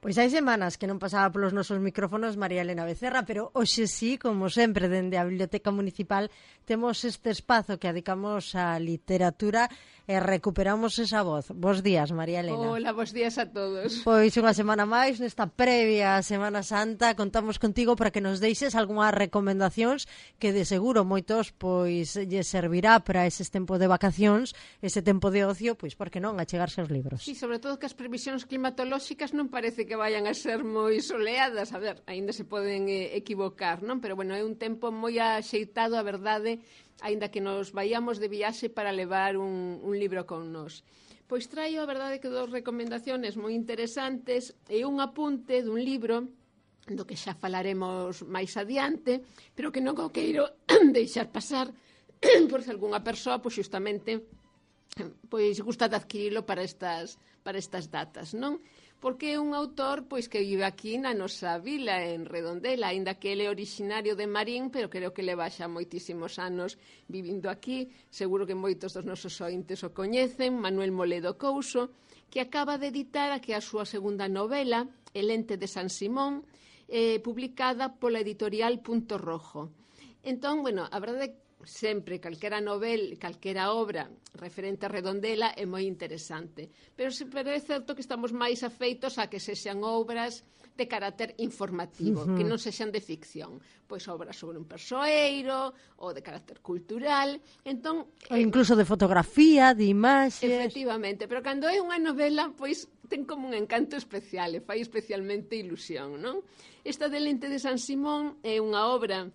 Pois hai semanas que non pasaba polos nosos micrófonos María Elena Becerra, pero hoxe sí, como sempre, dende a Biblioteca Municipal temos este espazo que adicamos á literatura e recuperamos esa voz. Bos días, María Elena. Hola, bos días a todos. Pois unha semana máis, nesta previa Semana Santa, contamos contigo para que nos deixes algunhas recomendacións que de seguro moitos pois lle servirá para ese tempo de vacacións, ese tempo de ocio, pois por que non, achegarse aos libros. Sí, sobre todo que as previsións climatolóxicas non parece que vayan a ser moi soleadas, a ver, aínda se poden equivocar, non? Pero bueno, é un tempo moi axeitado, a verdade, aínda que nos vayamos de viaxe para levar un libro con nós. Pois traio, a verdade, que dos recomendaciones moi interesantes e un apunte dun libro do que xa falaremos máis adiante, pero que non o queiro deixar pasar por se algunha persoa, pois xustamente pois gusta de adquirilo para estas datas, non? Porque é un autor pois que vive aquí na nosa vila, en Redondela, aínda que ele é originario de Marín, pero creo que leva xa moitísimos anos vivindo aquí. Seguro que moitos dos nosos ointes o coñecen, Manuel Moledo Couso, que acaba de editar a que a súa segunda novela, El ente de San Simón, publicada pola editorial Punto Rojo. Entón, bueno, a verdade é sempre calquera obra referente a Redondela é moi interesante, pero é certo que estamos máis afeitos a que sexan obras de carácter informativo, que non sexan de ficción, pois obras sobre un persoeiro ou de carácter cultural, entón ou incluso de fotografía, de imaxes. Efectivamente, pero cando é unha novela, pois ten como un encanto especial e fai especialmente ilusión, non? Esta del Ente de San Simón é unha obra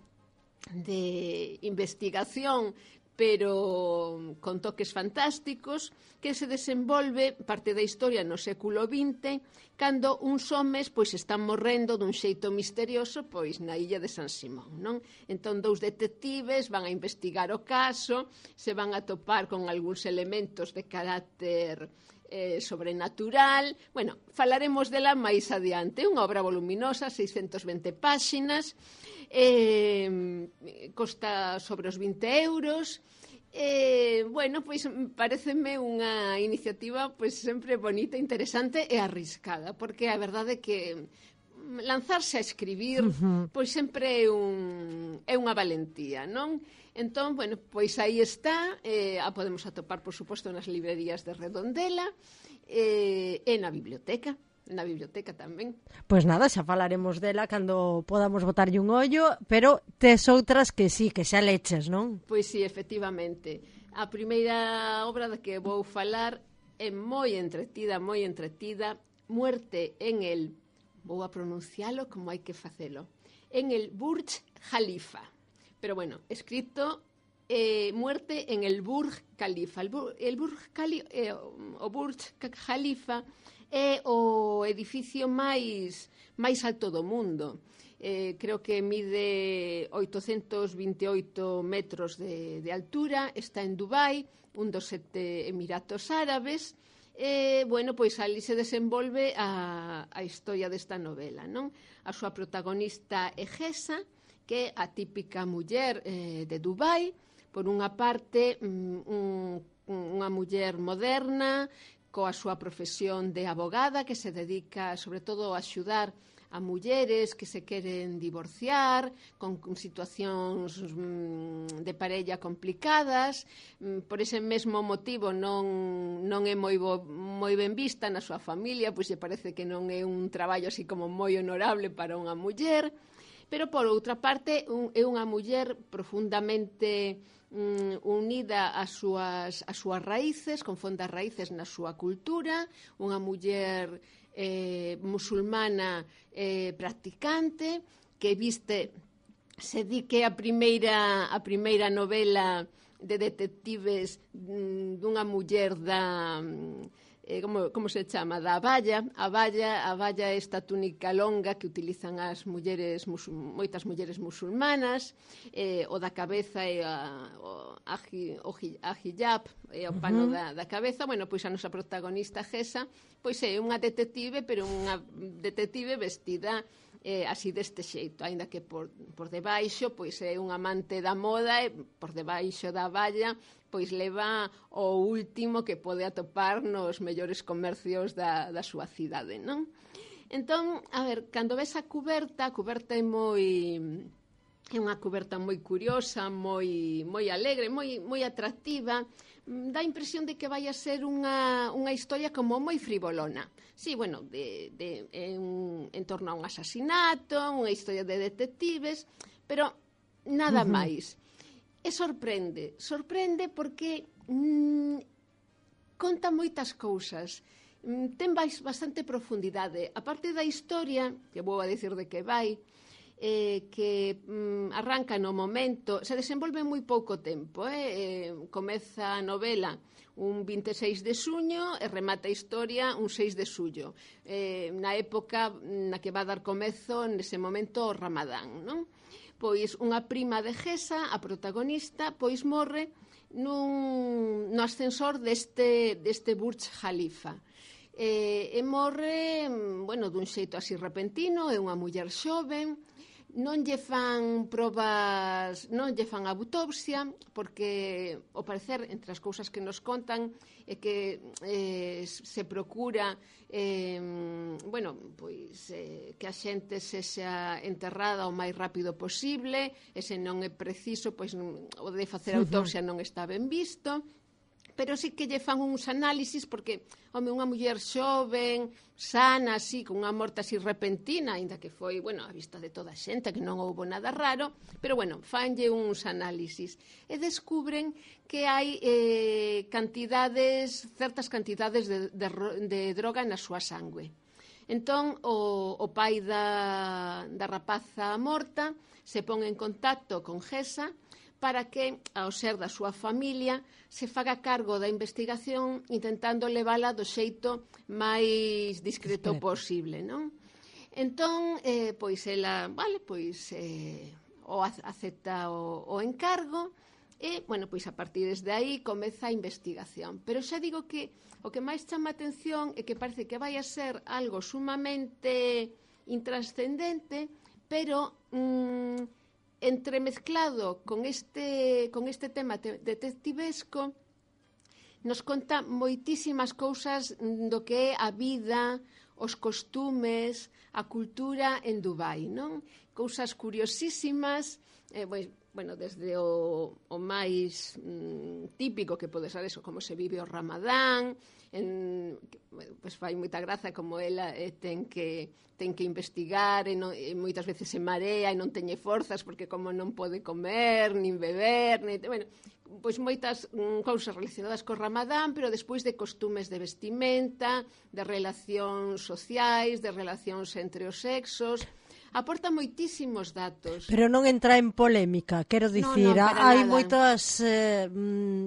de investigación, pero con toques fantásticos, que se desenvolve parte da historia no século XX, cando uns homes pois están morrendo dun xeito misterioso pois na illa de San Simón, non? Entón dous detectives van a investigar o caso, se van a topar con algúns elementos de carácter sobrenatural. Bueno, falaremos dela máis adiante. Unha obra voluminosa, 620 páxinas, costa sobre os 20 euros. Bueno, pois pareceme unha iniciativa pois sempre bonita, interesante e arriscada, porque a verdade é que lanzarse a escribir pois sempre é unha valentía, non? Entón, bueno, pois aí está, a podemos atopar, por suposto, nas librerías de Redondela e na biblioteca tamén. Pois nada, xa falaremos dela cando podamos botarlle un ollo, pero tes outras que sí, que xa leches, non? Pois sí, efectivamente. A primeira obra da que vou falar é moi entretida, Muerte en el, vou a pronuncialo como hai que facelo, en el Burj Khalifa. Pero bueno, escrito Muerte en el Burj Khalifa. O Burj Khalifa é o edificio máis alto do mundo. Creo que mide 828 metros de altura, está en Dubai, un dos 7 Emiratos Árabes. Bueno, pois ali se desenvolve a historia desta novela, non? A súa protagonista é Gesa, que é a típica muller de Dubai, por unha parte unha muller moderna, coa súa profesión de abogada, que se dedica sobre todo a axudar a mulleres que se queren divorciar, con situacións de parella complicadas. Por ese mesmo motivo non é moi ben vista na súa familia, pois lle parece que non é un traballo así como moi honorable para unha muller. Pero, por outra parte, é unha muller profundamente unida ás súas raíces, con fondas raíces na súa cultura, unha muller musulmana practicante, que se di que a primeira novela de detectives dunha muller da... como se chama, da abaya. A abaya é esta túnica longa que utilizan as mulleres, moitas mulleres musulmanas, o da cabeza é a hijab, é o pano da cabeza. Bueno, pois a nosa protagonista Gesa, pois é unha detective, pero unha detective vestida así deste xeito, aínda que por debaixo pois é un amante da moda e por debaixo da abaya pois leva o último que pode atopar nos mellores comercios da súa cidade, non? Entón, a ver, cando ves a cuberta é unha cuberta moi curiosa, moi alegre, moi atractiva. Dá a impresión de que vai a ser unha historia como moi frivolona. Sí, bueno, en torno a un asasinato, unha historia de detectives, pero nada máis. E sorprende porque conta moitas cousas. Ten bastante profundidade. A parte da historia, que vou a dicir de que vai, que arranca no momento, se desenvolve moi pouco tempo, comeza a novela un 26 de suño e remata a historia un 6 de xullo, na época na que va dar comezo nese momento o Ramadán, non? Pois unha prima de Gesa, a protagonista, pois morre no ascensor deste Burj Khalifa. E morre, bueno, dun xeito así repentino, é unha muller xoven, non lle fan probas, non lle fan autopsia, porque, ao parecer, entre as cousas que nos contan, é que se procura bueno, pois que a xente sexa enterrada o máis rápido posible, e se non é preciso, pois o de facer autopsia non está ben visto, pero sí que lle fan uns análisis porque, home, unha muller xoven, sana, así, con unha morte así repentina, aínda que foi, bueno, a vista de toda a xente, que non houbo nada raro, pero, bueno, fanlle uns análisis. E descubren que hai certas cantidades de droga na súa sangue. Entón, o pai da rapaza morta se pon en contacto con Gesa para que, ao ser da súa familia, se faga cargo da investigación intentando levala do xeito máis discreto posible, non? Entón, pois ela, vale, pois acepta o encargo e, bueno, pois a partir desde aí comeza a investigación. Pero xa digo que o que máis chama a atención é que parece que vai a ser algo sumamente intrascendente, pero entremezclado con este tema detectivesco, nos conta moitísimas cousas do que é a vida, os costumes, a cultura en Dubai, non? Cousas curiosísimas, bueno, desde o máis típico que pode ser eso, como se vive o Ramadán, pois fai moita graza como ela ten que investigar e moitas veces se marea e non teñe forzas porque como non pode comer, nin beber, bueno, pois moitas cousas relacionadas co Ramadán, pero despois de costumes de vestimenta, de relacións sociais, de relacións entre os sexos. Aporta moitísimos datos. Pero non entra en polémica, quero dicir, hai moitas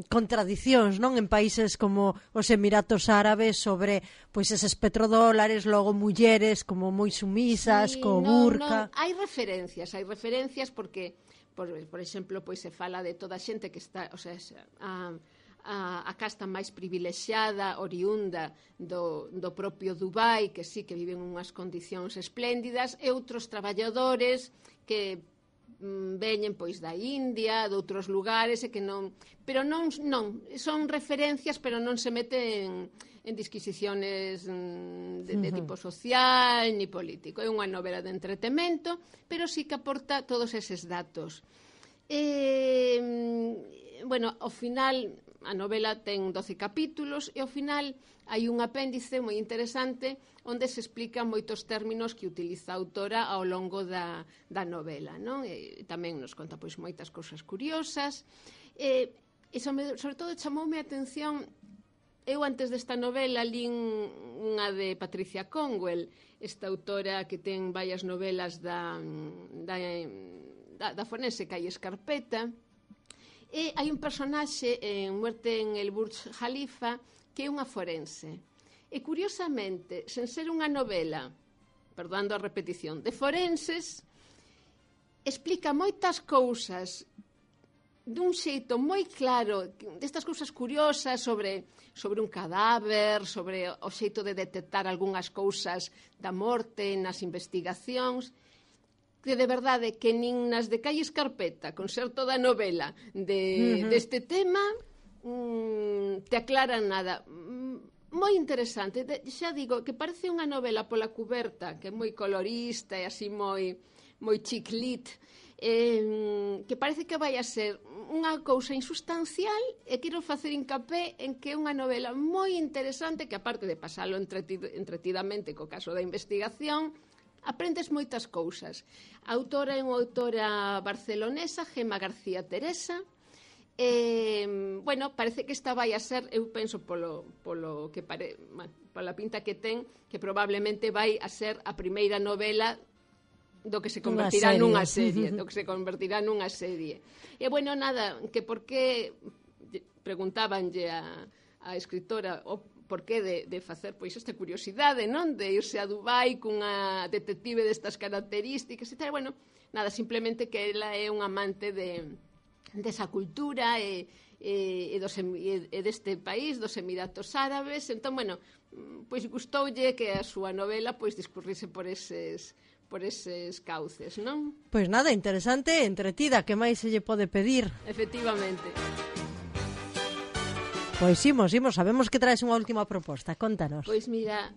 contradicións, non, en países como os Emiratos Árabes sobre pois eses petrodólares, logo mulleres como moi sumisas, co burka. Hai referencias porque, por exemplo, pois se fala de toda a xente que está, o sea, a casta máis privilexiada, oriunda do propio Dubai, que sí que viven unhas condicións espléndidas, e outros traballadores que veñen pois da India, de outros lugares, e que non, pero non son referencias, pero non se meten en disquisiciones de tipo social ni político. É unha novela de entretemento, pero sí que aporta todos eses datos. Bueno, ao final a novela ten 12 capítulos e ao final hai un apéndice moi interesante onde se explican moitos términos que utiliza a autora ao longo da novela, non? E tamén nos conta pois moitas cousas curiosas. E sobre todo chamoume a atención, eu antes desta novela lín unha de Patricia Conwell, esta autora que ten varias novelas da forense Calle Escarpeta. E hai un personaxe en Muerte en el Burj Khalifa que é unha forense. E curiosamente, sen ser unha novela, perdoando a repetición, de forenses, explica moitas cousas dun xeito moi claro, destas cousas curiosas sobre un cadáver, sobre o xeito de detectar algunhas cousas da morte nas investigacións, que de verdade que nin nas de Calle Escarpeta, con ser toda a novela deste tema, te aclaran nada. moi interesante. Xa digo que parece unha novela pola cuberta, que é moi colorista e así moi chiclit, que parece que vai a ser unha cousa insustancial, e quero facer hincapé en que é unha novela moi interesante, que aparte de pasalo entretidamente co caso da investigación, aprendes moitas cousas. A autora é unha autora barcelonesa, Gemma García Teresa. Bueno, parece que esta vai a ser, eu penso polo que pola pinta que ten, que probablemente vai a ser a primeira novela do que se convertirá nunha serie, E bueno, nada, que por que preguntábanlle a escritora o por que de facer pois esta curiosidade, non? De irse a Dubai cunha detective destas características e tal. Bueno, nada, simplemente que ela é un amante desa cultura e deste país, dos Emiratos Árabes. Entón, bueno, pois gustoulle que a súa novela pois discurrise por eses cauces, non? Pois nada, interesante e entretida, que máis se lle pode pedir? Efectivamente. Pois imos, sabemos que traes unha última proposta, contanos. Pois mira,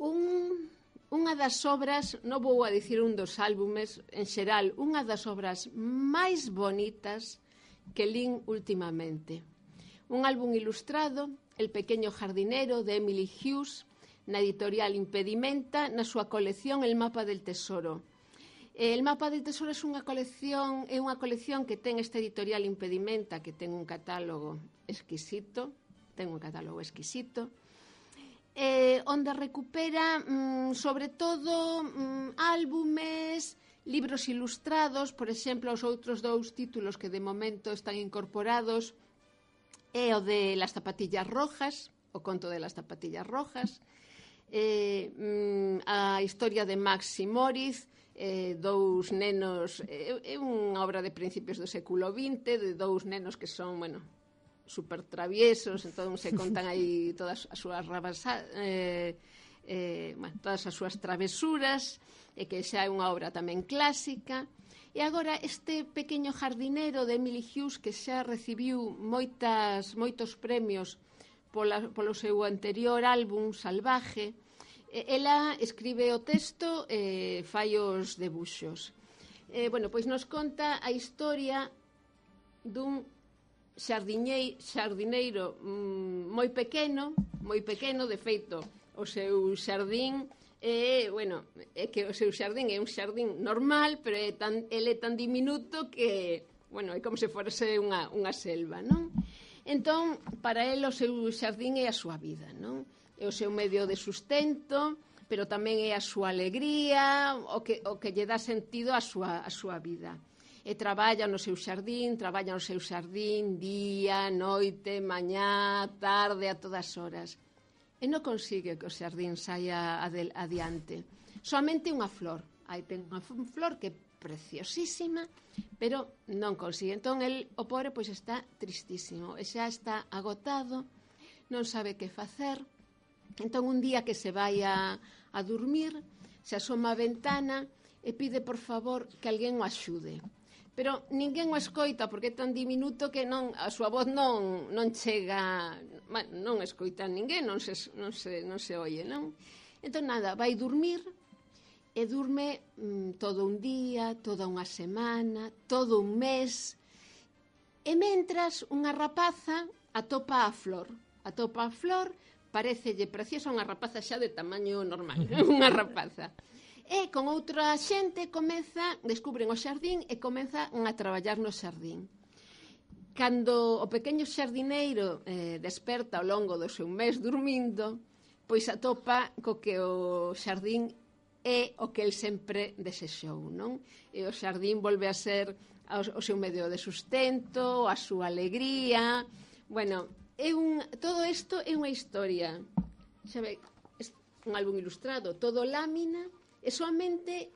unha das obras, non vou a dicir un dos álbumes, en xeral, unha das obras máis bonitas que lín últimamente. Un álbum ilustrado, El pequeño jardinero, de Emily Hughes, na editorial Impedimenta, na súa colección El mapa del tesoro. El mapa del tesoro é unha colección que ten esta editorial Impedimenta, que ten un catálogo exquisito, onde recupera sobre todo álbumes, libros ilustrados. Por exemplo, os outros dous títulos que de momento están incorporados é o de Las zapatillas rojas, o conto de las zapatillas rojas, a historia de Max y Moritz, dous nenos, é unha obra de principios do século XX, de dous nenos que son, bueno, super traviesos, entón se contan aí todas as súas todas as súas travesuras, e que xa é unha obra tamén clásica. E agora este pequeño jardinero de Emily Hughes, que xa recibiu moitos premios polo seu anterior álbum Salvaje, ela escribe o texto e fai os debuxos. Bueno, pois nos conta a historia dun xardineiro moi pequeno, de feito, o seu xardín é que o seu xardín é un xardín normal, pero ele é tan diminuto que, bueno, é como se fose unha selva, non? Entón, para ele o seu xardín é a súa vida, non? É o seu medio de sustento, pero tamén é a súa alegría, o que lle dá sentido á súa vida. E traballa no seu xardín día, noite, mañá, tarde, a todas horas. E non consigue que o xardín saia adiante. Soamente unha flor. Aí ten unha flor que é preciosísima, pero non consigue. Entón, o pobre, pois está tristísimo. E xa está agotado, non sabe que facer. Entón, un día que se vai a dormir, se asoma a ventana e pide, por favor, que alguén o axude. Pero ninguén o escoita, porque é tan diminuto que a súa voz non chega, non escoita ninguén, non se oye, non? Entón, nada, vai dormir, e durme todo un día, toda unha semana, todo un mes, e mentras unha rapaza atopa a flor, parecelle preciosa, unha rapaza xa de tamaño normal, unha rapaza. E con outra xente descubren o xardín e comezan a traballar no xardín. Cando o pequeno xardineiro desperta ao longo do seu mes dormindo, pois atopa co que o xardín é o que el sempre desexou, non? E o xardín volve a ser o seu medio de sustento, a súa alegría. Bueno, todo isto é unha historia. Xa ve, un álbum ilustrado, todo lámina, e somente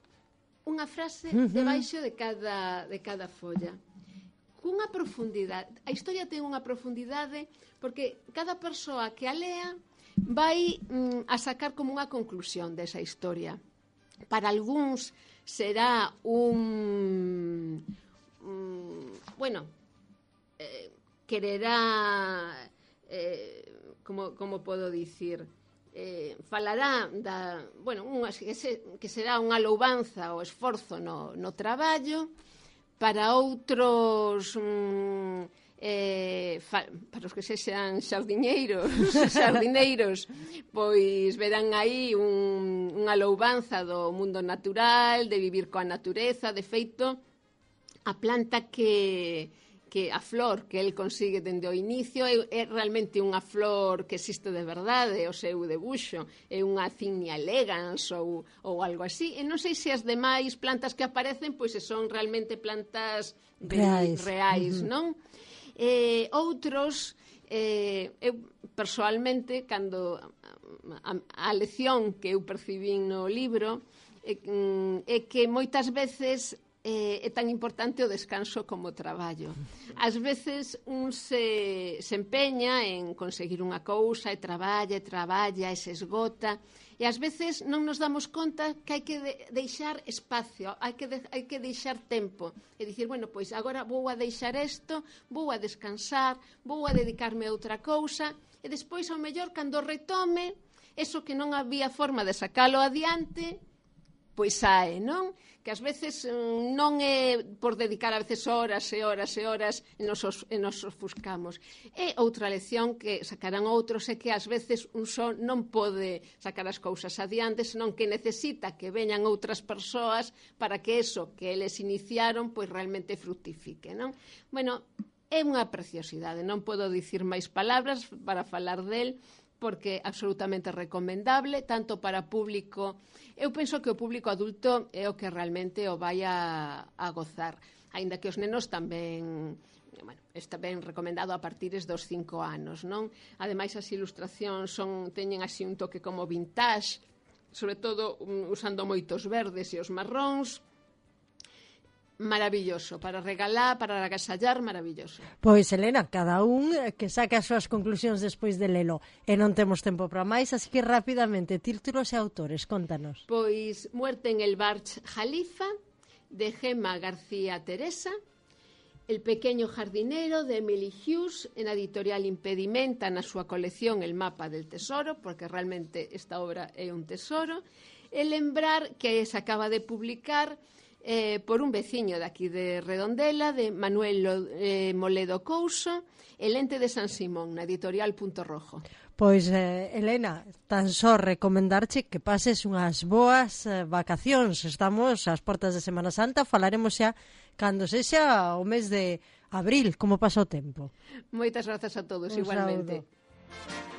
unha frase debaixo de cada folla. Cunha profundidade. A historia ten unha profundidade porque cada persoa que a lea vai a sacar como unha conclusión desa historia. Para algúns será quererá como podo dicir, falará que será unha louvanza ao esforzo no traballo. Para outros para os que sexan xardineiros, pois verán aí unha louvanza do mundo natural, de vivir coa natureza. De feito, a planta que a flor que el consigue dende o inicio é realmente unha flor que existe de verdade, o seu debuxo é unha Zinnia elegans ou algo así, e non sei se as demais plantas que aparecen pois son realmente plantas reais, non? Outros, eu persoalmente, cando a lección que eu percibín no libro é que moitas veces é tan importante o descanso como o traballo. Ás veces un se empeña en conseguir unha cousa e traballa e se esgota, e ás veces non nos damos conta que hai que deixar espacio, hai que deixar tempo e dicir, bueno, pois agora vou a deixar isto, vou a descansar, vou a dedicarme a outra cousa, e despois ao mellor cando retome eso que non había forma de sacalo adiante, pois sae, non? Que ás veces non é por dedicar a veces horas e horas e horas e nos ofuscamos. E outra lección que sacarán outros é que ás veces un só non pode sacar as cousas adiante, senón que necesita que veñan outras persoas para que eso que eles iniciaron pois realmente fructifique, non? Bueno, é unha preciosidade, non podo dicir máis palabras para falar del, porque é absolutamente recomendable, tanto para público. Eu penso que o público adulto é o que realmente o vai a gozar, aínda que os nenos tamén, está ben recomendado a partires dos 5 anos, non? Ademais, as ilustracións teñen así un toque como vintage, sobre todo usando moitos verdes e os marróns. Maravilloso, para regalar, para agasallar, maravilloso. Pois, Elena, cada un que saque as súas conclusións despois de lelo, e non temos tempo para máis, así que rapidamente, títulos e autores, contanos. Pois Muerte en el Burj Khalifa, de Gemma García Teresa, El pequeño jardinero, de Emily Hughes, en a editorial Impedimenta, na súa colección El mapa del tesoro, porque realmente esta obra é un tesoro, e lembrar que se acaba de publicar por un veciño daqui de Redondela, de Manuel Moledo Couso, El ente de San Simón, na editorial Punto Rojo. Pois, Elena, tan só recomendarche que pases unhas boas vacacións. Estamos ás portas de Semana Santa, falaremos xa cando sexa o mes de abril, como pasa o tempo. Moitas grazas a todos, igualmente. Saúdo.